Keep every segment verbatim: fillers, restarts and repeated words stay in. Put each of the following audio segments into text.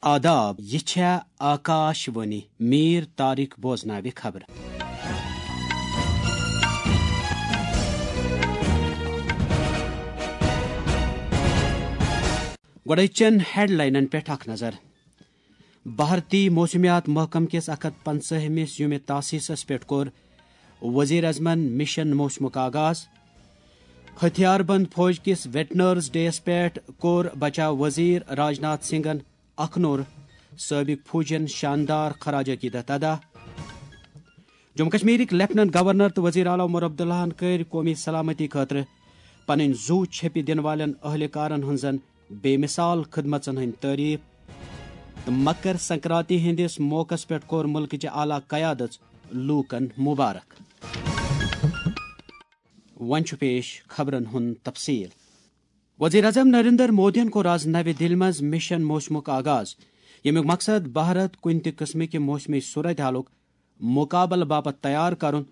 آداب، یہِ چھےٚ آکاش وانی۔ میٖر طارق بوزناوِ خبرٕ۔ گۄڈٕ چٮ۪ن ہیڈلاینن پٮ۪ٹھ اکھ نظر۔ بھارتی موسمیات محکمہٕ کِس اکھ ہتھ پنٛژاہمِس یومِ تاسیسس پٮ۪ٹھ کوٚر وزیر اعظمن مشن موسمُک آغاز۔ ہتھیار بند فوج کِس ویٹنرز ڈے یَس پٮ۪ٹھ کوٚر بچاو وزیر راجناتھ سنگھن اخنور سٲبق فوجین شاندار خراج عقیدت ادا۔ جموں کشمیرٕکۍ لیفٹیننٹ گورنر تہٕ وزیر اعلیٰ عمر عبداللہن کٔرۍ قومی سلامتی خٲطرٕ پنٕنۍ زُو چھیٚپہِ دِنہٕ والٮ۪ن اہلکارن ہٕنٛزن بے مثال خدمژن ہٕنٛدۍ تعریف۔ تہٕ مکر سنکرانتی ہٕنٛدِس موقعس پٮ۪ٹھ کوٚر مُلکٕچہِ اعلیٰ قیادژ لوٗکن مبارک۔ وۄنۍ چھُ پیش خبرن ہُنٛد تفصیل۔ وزیر اعظم نریندر مودیَن کوٚر آز نَوِ دِلہِ منٛز مشن موسمُک آغاز، ییٚمیُک مقصد بھارت کُنہِ تہِ قٕسمٕکہِ موسمی صورتحالُک مُقابلہٕ باپتھ تیار کرُن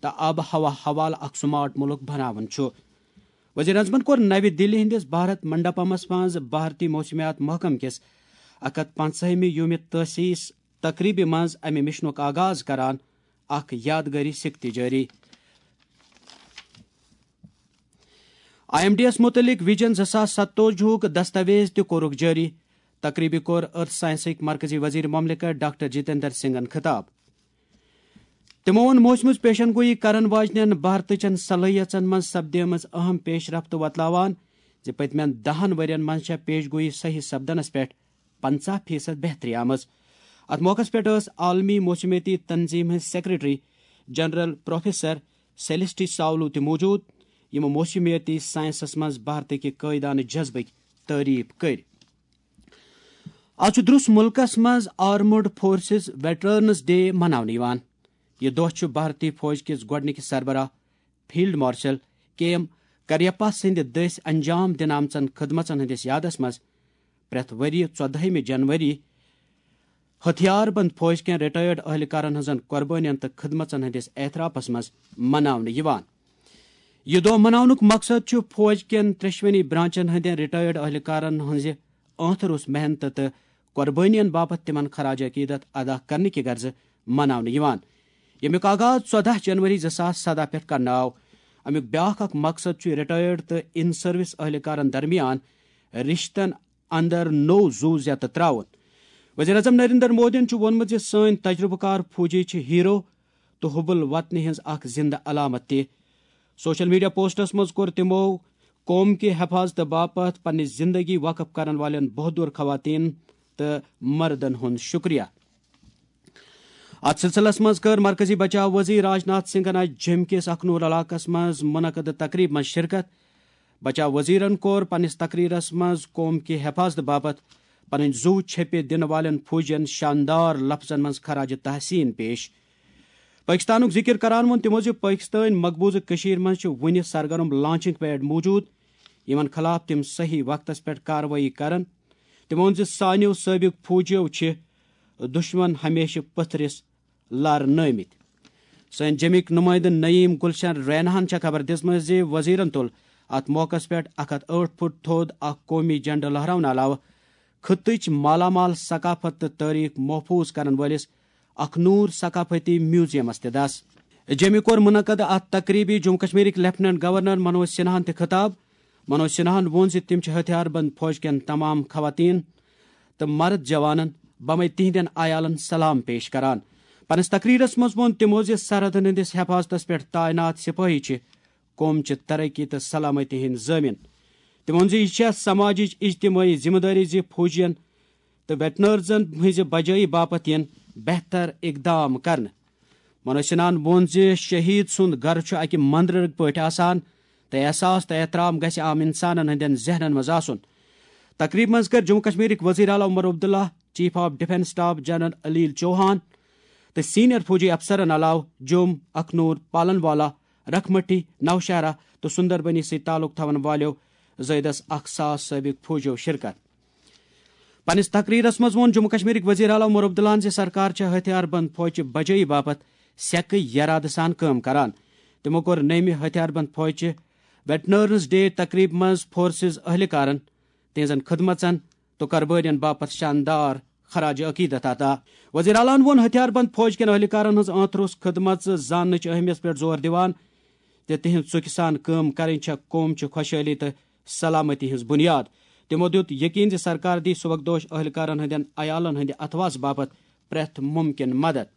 تہٕ آب و ہوا حوالہٕ اکھ سمارٹ مُلک بناوُن چھُ۔ وزیر اعظمَن کوٚر نَوِ دِلہِ ہٕنٛدِس بھارت منڈپمس منٛز بھارتی موسمیات محکمہٕ کِس اکھ ہتھ پنٛژاہمہِ یومِ تاسیس تقریبہِ منٛز امہِ مشنُک آغاز کران اکھ یادگٲری سِکہٕ تہِ جٲری۔ آئی ایم ڈی یَس مُتعلِق ویژن زٕ ساس ستوجہُک دستاویز تہِ کوٚرُکھ جٲری۔ تقریبہِ کوٚر ارتھ سائنسٕکۍ مرکزی وزیر مملکت ڈاکٹر جتیندر سنگھن خطاب۔ تِمو ووٚن موسمٕچ پیشن گویی کرن واجنٮ۪ن بھارتٕچن صلٲحیژن منٛز سپدیمٕژ اہم پیش رفت وۄتلاوان زِ پٔتمٮ۪ن دَہن ؤرین منٛز چھےٚ پیش گویی صحیح سپدنس پٮ۪ٹھ پنژاہ فیصد بہتری آمٕژ۔ اتھ موقعس پٮ۪ٹھ ٲس عالمی موسمیٲتی تنظیم ہٕنٛز سیکرٹری جنرل پروفیسر سیلسٹی ساولو تہِ موجود، یِمو موسمیٲتی سائنسس منٛز بھارتٕکہِ قٲیدانہٕ جذبٕکۍ تعریف کٔرۍ۔ آز چھُ درُس مُلکس منٛز آرمڈ فورسز ویٹرنز ڈے مناونہٕ یِوان۔ یہِ دۄہ چھُ بھارتی فوج کِس گۄڈٕنِکِس سربراہ فیلڈ مارشل کے ایم کریپا سٕنٛدِ دٔسۍ انجام دِنہٕ آمژن خدمژن ہٕنٛدِس یادس منٛز پرٛٮ۪تھ ؤرۍ یہِ ژۄدہمہِ جنوری ہتھیار بند فوج کٮ۪ن ریٹائرڈ اہلکارن ہٕنٛزن قربٲنین تہٕ خدمژن ہٕنٛدِس اعترافس منٛز مناونہٕ یِوان۔ یہِ دۄہ مناونُک مقصد چھُ فوج کٮ۪ن ترٛیشونی برانچن ہٕنٛدٮ۪ن ریٹائرڈ اہلکارن ہٕنٛزِ ٲنٛتھ روٚس محنتہٕ تہٕ قربٲنین باپتھ تِمن خراج عقیدت ادا کرنہٕ کہِ غرضہٕ مناونہٕ یِوان، ییٚمیُک آغاز ژۄدہ جنوری زٕ ساس سدہ پٮ۪ٹھ کرنہٕ آو۔ امیُک بیاکھ اکھ مقصد چھُ ریٹائرڈ تہٕ ان سروس اہلکارن درمیان رشتن اندر نوٚو زُو زیتہٕ تراوُن۔ وزیر اعظم نریندر مودیَن چھُ ووٚنمُت زِ سٲنۍ تجربہٕ کار فوجی چھِ ہیرو تہٕ حب الوطنی ہٕنٛز اکھ زندٕ علامت تہِ۔ سوشل میڈیا پوسٹس منٛز کوٚر تِمو قوم کہِ حفاظتہٕ باپتھ پننہِ زندگی وقف کرن والٮ۪ن بہادر خواتین تہٕ مردن ہُنٛد شکریہ۔ اتھ سلسلس منٛز کٔر مرکزی بچاو وزیر راجناتھ سنگھن آز جوٚم کِس اخنور علاقس منٛز منعقدٕ تقریب منٛز شرکت۔ بچاو وزیرن کوٚر پننِس تقریرس منٛز قوم کہِ حفاظتہٕ باپتھ پنٕنۍ زُو چھیٚپہِ دِنہٕ والٮ۪ن فوجین شاندار لفظن منٛز خراج تحسین پیش۔ پٲکِستانُک ذِکِر کران ووٚن تِمو زِ پٲکِستٲنۍ مقبوضہٕ کٔشیٖر منٛز چھِ وُنہِ سرگرم لانچنگ پیڈ موٗجوٗد، یِمن خٕلاف تِم صحیح وقتس پٮ۪ٹھ کاروٲیی کرن۔ تِمو ووٚن زِ سانیو سٲبِق فوجیو چھِ دُشمن ہمیشہٕ پٔتھرِس لارنٲومٕتۍ۔ سٲنۍ جیٚمِکۍ نُمٲیندٕ نعیم گلشن ریناہن چھےٚ خبر دِژمٕژ زِ وزیرن تُل اتھ موقعس پٮ۪ٹھ اکھ ہتھ ٲٹھ فُٹ تھوٚد اکھ قومی جھنڈٕ لہراونہٕ علاوٕ خطٕچ مالا مال ثقافت تہٕ تٲریخ محفوظ کرن وٲلِس اکھ نوٗر ثقافتی میوزیمس تہِ دس۔ جیٚمہِ کوٚر منعقد اتھ تقریبہِ جموں کشمیرٕکۍ لیفٹیننٹ گورنر منوج سنہاہن تہِ خطاب۔ منوج سنہاہن ووٚن زِ تِم چھِ ہتھیار بند فوج کٮ۪ن تمام خواتین تہٕ مرد جوانن بمے تِہنٛدٮ۪ن عیالن سلام پیش کران۔ پننِس تقریرس منٛز ووٚن تِمو زِ سرحدن ہٕنٛدِس حفاظتس پٮ۪ٹھ تعینات سپٲہی چھِ قوم چہِ ترقی تہٕ سلامتی ہٕنٛدۍ ضٲمِن۔ تِمو ووٚن زِ یہِ چھےٚ سماجٕچ اجتمٲعی ذمہٕ دٲری زِ فوجین تہٕ ویٹنرزن ہٕنٛزِ بجٲیی باپتھ یِن بہتر اقدام کرنہٕ۔ منوج سنہاہن ووٚن زِ شہید سُنٛد گرٕ چھُ اکہِ مندرٕکۍ پٲٹھۍ آسان تہٕ احساس تہٕ احترام گژھِ عام انسانن ہٕنٛدٮ۪ن ذہنن منٛز آسُن۔ تقریبہِ منٛز کٔر جموں کشمیرٕکۍ وزیر اعلیٰ Omar Abdullah, chief of defence staff general Anil Chauhan تہٕ سینئر فوجی افسرن علاوٕ جوٚم، اخنور، پالن والا، رکھمٹی، نوشہرہ تہٕ سندربنی سۭتۍ تعلق تھاون والٮ۪و زٲیدس اکھ ساس سٲبق فوجیو شرکت۔ پننِس تقریرس منٛز ووٚن جموں کشمیرٕکۍ وزیر اعلیٰ عمر عبداللہن زِ سرکار چھےٚ ہتھیار بند فوجچہِ بجٲیی باپتھ سیکہٕ یرادٕ سان کٲم کران۔ تِمو کوٚر نٔیمہِ ہتھیار بند فوجچہِ ویٹرنرز ڈے تقریبہِ منٛز فورسز اہلکارن تہنٛزن خدمژن تہٕ قربٲنین باپتھ شاندار خراج عقیدت عطا۔ وزیر اعلیٰ ہَن ووٚن ہتھیار بند فوج کٮ۪ن اہلکارن ہٕنٛز ٲنتھ روٚس خدمژ زاننٕچ اہمیت پٮ۪ٹھ زور دِوان تہٕ تِہنٛز ژُکہِ سان کٲم کرٕنۍ چھےٚ قوم چہِ خۄشحٲلی تہٕ سلامتی ہٕنٛز بُنیاد۔ تِمو دیُت یقین زِ سرکار دی سبکدوش اہلکارن ہٕنٛدٮ۪ن عیالن ہٕنٛدِ اتھواسہٕ باپتھ پرٛٮ۪تھ مُمکِن مدد۔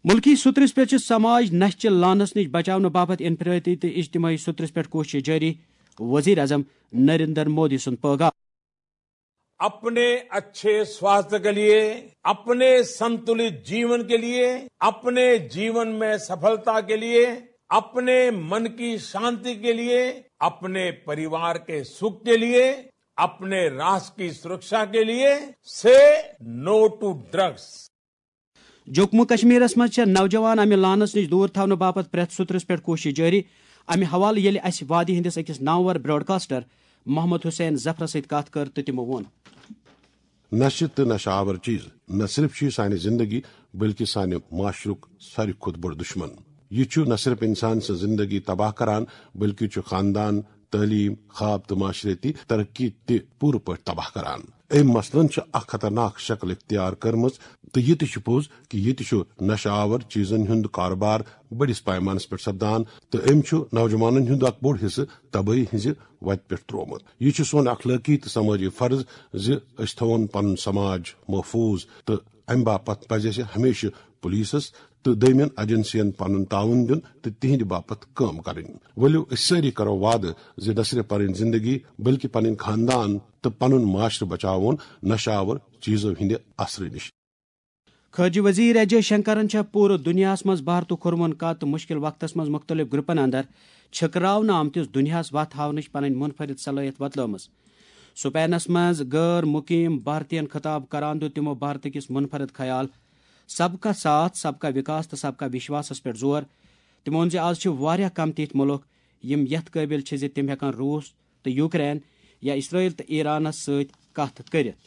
مُلکی سُترِس پٮ۪ٹھ چھِ سماج نشہِ چہِ لعنتس نِش بچاونہٕ باپتھ انفرٲدی تہٕ اجتماعی سُترِس پٮ۪ٹھ کوٗشش جٲری، وزیر اعظم نریندر مودی سُنٛد پٲغام۔ अपने अच्छे स्वास्थ्य के लिए, अपने संतुलित जीवन के लिए, अपने जीवन में सफलता के लिए, अपने मन की शांति के लिए, अपने परिवार के सुख के लिए, अपने राष्ट्र की सुरक्षा के लिए, से नो टू ड्रग्स। جموں کشمیرس منٛز چھےٚ نوجوان امہِ لعنس نِش دوٗر تھاونہٕ باپتھ پرٛٮ۪تھ سُترس پٮ۪ٹھ کوٗشش جٲری۔ امہِ حوالہٕ ییٚلہِ اسہِ وادی ہٕنٛدِس أکِس نامور براڈکاسٹر محمد حسین ظفرس سۭتۍ کتھ کٔر تہٕ تِمو ووٚن۔ نشہٕ تہٕ نشہٕ آور چیز نہ صرف چھُ یہِ سانہِ زندگی بلکہ سانہِ معاشرُک ساروی کھۄتہٕ بوٚڑ دشمن۔ یہِ چھُ نہ صرف انسان سٕنٛز زندگی تباہ کران بلکہ چھُ خاندان، تعلیم، خواب تہٕ معاشرتی ترقی تہِ پوٗرٕ پٲٹھۍ تباہ کران۔ أمۍ مثلاً چھِ اکھ خطرناک شکل اختیار کٔرمٕژ تہٕ یہِ تہِ چھُ پوٚز کہِ ییٚتہِ چھُ نشہٕ آور چیزن ہُنٛد کارٕبار بٔڑِس پیمانس پٮ۪ٹھ سپدان تہٕ أمۍ چھُ نوجوانن ہُنٛد اکھ بوٚڑ حصہٕ تبٲہی ہٕنٛزِ وتہِ پٮ۪ٹھ ترٛوومُت۔ یہِ چھُ سون اخلٲقی تہٕ سمٲجی فرض زِ أسۍ تھاوون پنُن سماج محفوظ تہٕ امہِ باپتھ پزِ اسہِ ہمیشہٕ پولیسس تہٕ دوٚیمٮ۪ن ایجنسین پنُن تعاون دیُن تہٕ تِہنٛدِ باپتھ کٲم کرٕنۍ۔ ؤلِو أسۍ سٲری کرو وعدٕ زِ نہ صرف پنٕنۍ زندگی بلکہ پنٕنۍ خاندان تہٕ پنُن معاشرٕ بچاوون نشہٕ آور چیزو ہٕنٛدِ اثرٕ نِش۔ خارجہ وزیر ایس جے شنکرن چھےٚ پوٗرٕ دُنیاہس منٛز بھارتُک کھوٚرمُن قد تہٕ مُشکِل وقتس منٛز مُختٔلِف گروپن اندر چھٔکراونہٕ آمتِس دُنیاہس وتھ ہاونٕچ پنٕنۍ منفرد صلٲحیت وۄتلٲومٕژ۔ سپینس منٛز غٲر مقیم بھارتین خطاب کران دیُت تِمو بھارتہٕ کِس منفرد خیال سب کا ساتھ، سب کا وکاس تہٕ سب کا وشواسس پٮ۪ٹھ زور۔ تِمو ووٚن زِ از چھِ واریاہ کم تِتھۍ مُلک یِم یتھ قٲبل چھِ زِ تِم ہٮ۪کن روس تہٕ یوکرین یا اسرائیل تہٕ ایرانس سۭتۍ کتھ کٔرِتھ۔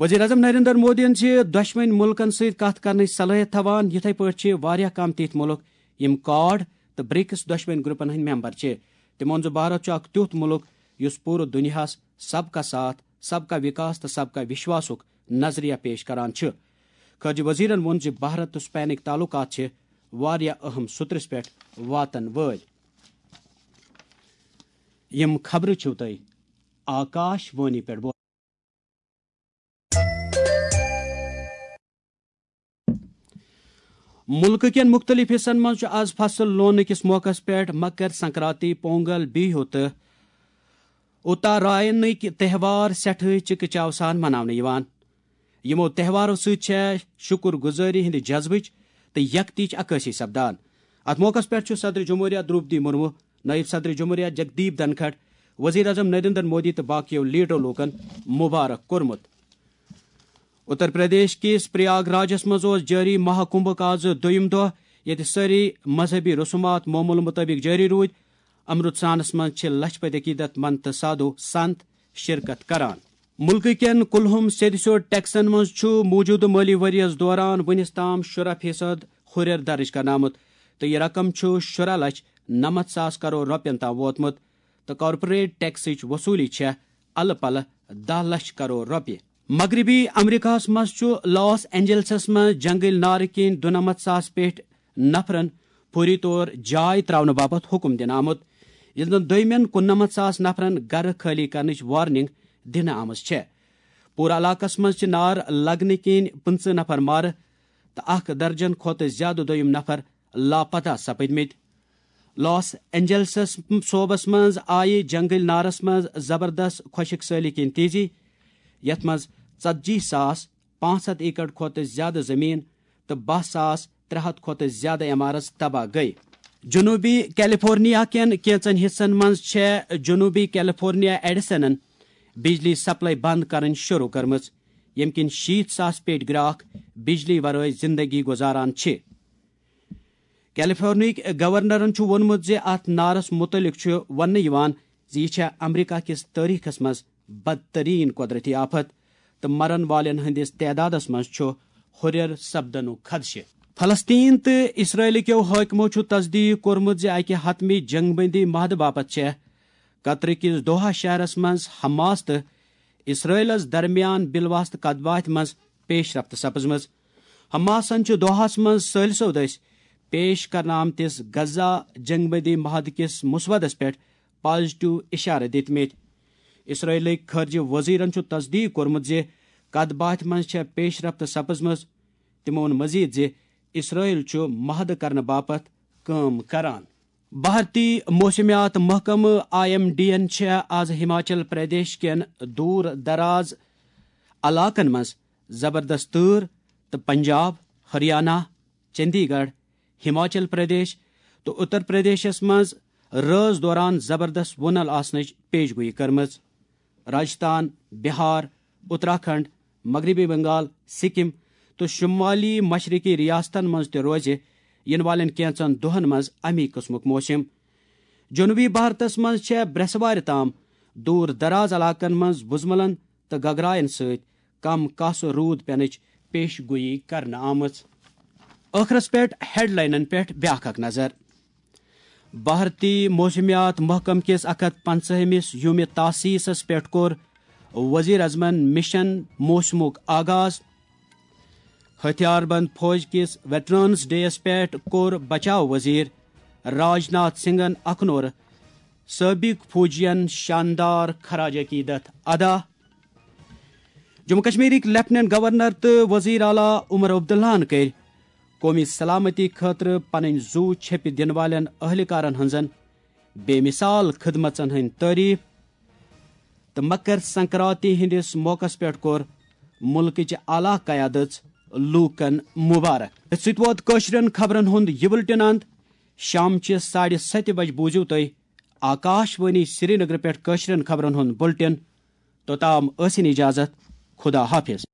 وزیر اعظم نریندر مودیَن چھِ دۄشوٕنۍ مُلکَن سۭتۍ کَتھ کرنٕچ صلٲحیت تھاوان۔ یِتھے پٲٹھۍ چھِ واریاہ کم تِتھۍ مُلک یِم کواڈ تہٕ برکس دۄشوٕنۍ گروپن ہٕنٛدۍ ممبر چھِ۔ تِمو ووٚن زِ بھارت چھُ اکھ تیُتھ مُلک یُس پوٗرٕ دُنیاہَس سب کا ساتھ، سب کا وکاس تہٕ سب کا وشواسُک نظریہ پیش کران چھُ۔ خارجہ وزیرَن ووٚن زِ بھارت تہٕ سپینٕکۍ تعلقات چھِ واریاہ اہم سُترِس پٮ۪ٹھ واتن وٲلۍ۔ یِم خبرٕ چھِو تۄہہِ آکاش وانی پٮ۪ٹھ بوزان۔ مُلکہٕ کٮ۪ن مُختٔلِف حصن منٛز چھُ از فصل لوننہٕ کِس موقعس پٮ۪ٹھ مکر سنکرانتی، پونگل، بیہو تہٕ اتراینٕکۍ تہوار سٮ۪ٹھٕے چکہ چاو سان مناونہٕ یِوان۔ یِمو تہوارو سۭتۍ چھےٚ شُکر گُزٲری ہٕنٛدِ جذبٕچ تہٕ یکتیٕچ عکٲسی سپدان۔ اتھ موقعس پٮ۪ٹھ چھُ صدر جمہوریہ درٛوپدی مرمو، نٲیِب صدر جمہوریہ جگدیپ دھنکھڑ، وزیر اعظم نریندر مودی تہٕ باقیو لیڈرو لوٗکن مبارک کوٚرمُت۔ اتر پردیش کِس پریاگ راجس منٛز اوس جٲری مہا کُمبھُک آز دوٚیُم دۄہ، ییٚتہِ سٲری مذہبی رسومات معموٗلہٕ مُطٲبِق جٲری روٗدۍ۔ امرتسرانس منٛز چھِ لچھ پٔدۍ عقیدت مند تہٕ سادھو سنت شرکت کران۔ مُلکہٕ کٮ۪ن کُلہُم سیٚدِ سیوٚد ٹیکسن منٛز چھُ موٗجوٗدٕ مٲلی ؤرۍ یَس دوران وُنِس تام شُراہ فیصد ہُرٮ۪ر درٕج کرنہٕ آمُت تہٕ یہِ رقم چھُ شُراہ لچھ نَمَتھ ساس کرور رۄپین تام ووتمُت تہٕ کارپوریٹ ٹیکسٕچ وصوٗلی چھےٚ الہٕ پلہٕ دَہ لچھ کرور رۄپیہِ۔ مغربی امریکہس منٛز چھُ لاس اینجلسس منٛز جنگل نارٕ کِنۍ دُنَمَتھ ساس پٮ۪ٹھ نفرن فوری طور جاے تراونہٕ باپتھ حکم دِنہٕ آمُت، ییٚلہِ زن دوٚیمٮ۪ن کُننَمَتھ ساس نفرن گرٕ خٲلی کرنٕچ وارننگ دِنہٕ آمٕژ چھےٚ۔ پوٗرٕ علاقس منٛز چھِ نار لگنہٕ کِنۍ پٕنٛژٕہ نفر مارٕ تہٕ اکھ درجن کھۄتہٕ زیادٕ دوٚیِم نفر لاپتہ سپٕدمٕتۍ۔ لاس اینجلسس صوبس منٛز آیہِ جنگل نارس منٛز زبردست خۄشک سٲلی کِنۍ تیزی، یتھ منٛز ژتجی ساس پانٛژھ ہتھ ایکڑ کھۄتہٕ زیادٕ زمین تہٕ باہ ساس ترٛےٚ ہتھ کھۄتہٕ زیادٕ عمارژ تباہ گٔیہِ۔ جنوبی کیلیفورنیا کٮ۪ن کینٛژن حصن منٛز چھےٚ جنوبی کیلیفورنیا ایڈیسنن بجلی سپلائی بند کرٕنۍ شروع کٔرمٕژ، ییٚمہِ کِنۍ شیٖتھ ساس پیٹہِ گراکھ بجلی ورٲے زندگی گُزاران چھِ۔ کیلیفورنیاہٕکۍ گورنرن چھُ ووٚنمُت زِ اتھ نارس مُتعلق چھُ وننہٕ یِوان زِ یہِ چھےٚ امریکہ کِس تٲریخس منٛز بدترین قۄدرٔتی آفت تہٕ مرن والٮ۪ن ہٕنٛدِس تعدادس منٛز چھُ ہُرٮ۪ر سپدنُک خدشہٕ۔ فلسطین تہٕ اسرائیل کیو حٲکمو چھُ تصدیق کوٚرمُت زِ اکہِ حتمی جنگ بندی معاہدٕ باپتھ چھےٚ قطر کِس دوحہ شہرس منٛز حماس تہٕ اسرائیلس درمیان بالواسطہٕ کتھ باتھِ منٛز پیش رفت سپزمٕژ۔ حماسن چھُ دوحاہس منٛز ثٲلثو دٔسۍ پیش کرنہٕ آمتِس غزہ جنگ بندی معاہدٕ کِس مسودس پٮ۪ٹھ پازیٹیو اشارٕ دِتمٕتۍ۔ اسرائیلٕکۍ خارجہ وزیرن چھُ تصدیق کوٚرمُت زِ کتھ باتھِ منٛز چھےٚ پیش رفت سپزمٕژ۔ تِمو ووٚن مزید زِ اسرائیل چھُ معاہدٕ کرنہٕ باپتھ کٲم کران۔ بھارتی موسمیات محکمہٕ آئی ایم ڈی ین چھےٚ آز ہماچل پردیش کٮ۪ن دوٗر دراز علاقن منٛز زبردست تۭر تہٕ پنجاب، ہریانہ، چندی گڑھ، ہماچل پردیش تہٕ اتر پردیشس منٛز رٲژ دوران زبردست وُنل آسنٕچ پیش گویی کٔرمٕژ۔ راجستھان، بہار، اتراکھنڈ، مغربی بنگال، سکم تہٕ شمالی مشرقی ریاستن منٛز تہِ روزِ ینہٕ والٮ۪ن کینٛژن دۄہن منٛز امی قٕسمُک موسم۔ جنوبی بھارتس منٛز چھےٚ برٛٮ۪سوارِ تام دوٗر دراز علاقن منٛز وُزملن تہٕ گگراین سۭتۍ کم کاسہٕ روٗد پینٕچ پیش گویی کرنہٕ آمٕژ۔ ٲخرس پٮ۪ٹھ ہیڈلاینن پٮ۪ٹھ بیاکھ اکھ نظر۔ بھارتی موسمیات محکمہٕ کِس اکھ ہتھ پنژاہمِس یومِ تاسیسس پٮ۪ٹھ کوٚر وزیر اعظمن مشن موسمُک آغاز۔ ہتھیار بند فوج کِس ویٹرنز ڈے یَس پٮ۪ٹھ کوٚر بچاو وزیر راج ناتھ سنگھن اکھنور سٲبق فوجین شاندار خراج عقیدت ادا۔ جموں کشمیرٕکۍ لیفٹیننٹ گورنر تہٕ وزیر اعلیٰ عمر عبداللہَن کٔرۍ قومی سلامتی خٲطرٕ پنٕنۍ زُو چھیٚپہِ دِنہٕ والٮ۪ن اہلکارن ہٕنٛزن بے مثال خدمژن ہٕنٛدۍ تعریف تہٕ مکر سنکرانتی ہٕنٛدِس موقعس پٮ۪ٹھ کوٚر مُلکٕچ اعلیٰ قیادژ لوٗکن مبارک۔ أتھۍ سۭتۍ ووت کٲشرٮ۪ن خبرن ہُنٛد یہِ بُلٹن اند۔ شامچہِ ساڑِ ستہِ بجہِ بوٗزِو تُہۍ آکاش وانی سرینگر پٮ۪ٹھ کٲشرٮ۪ن خبرن ہُنٛد بُلٹن۔ توٚتام ٲسِن اجازت۔ خدا حافظ۔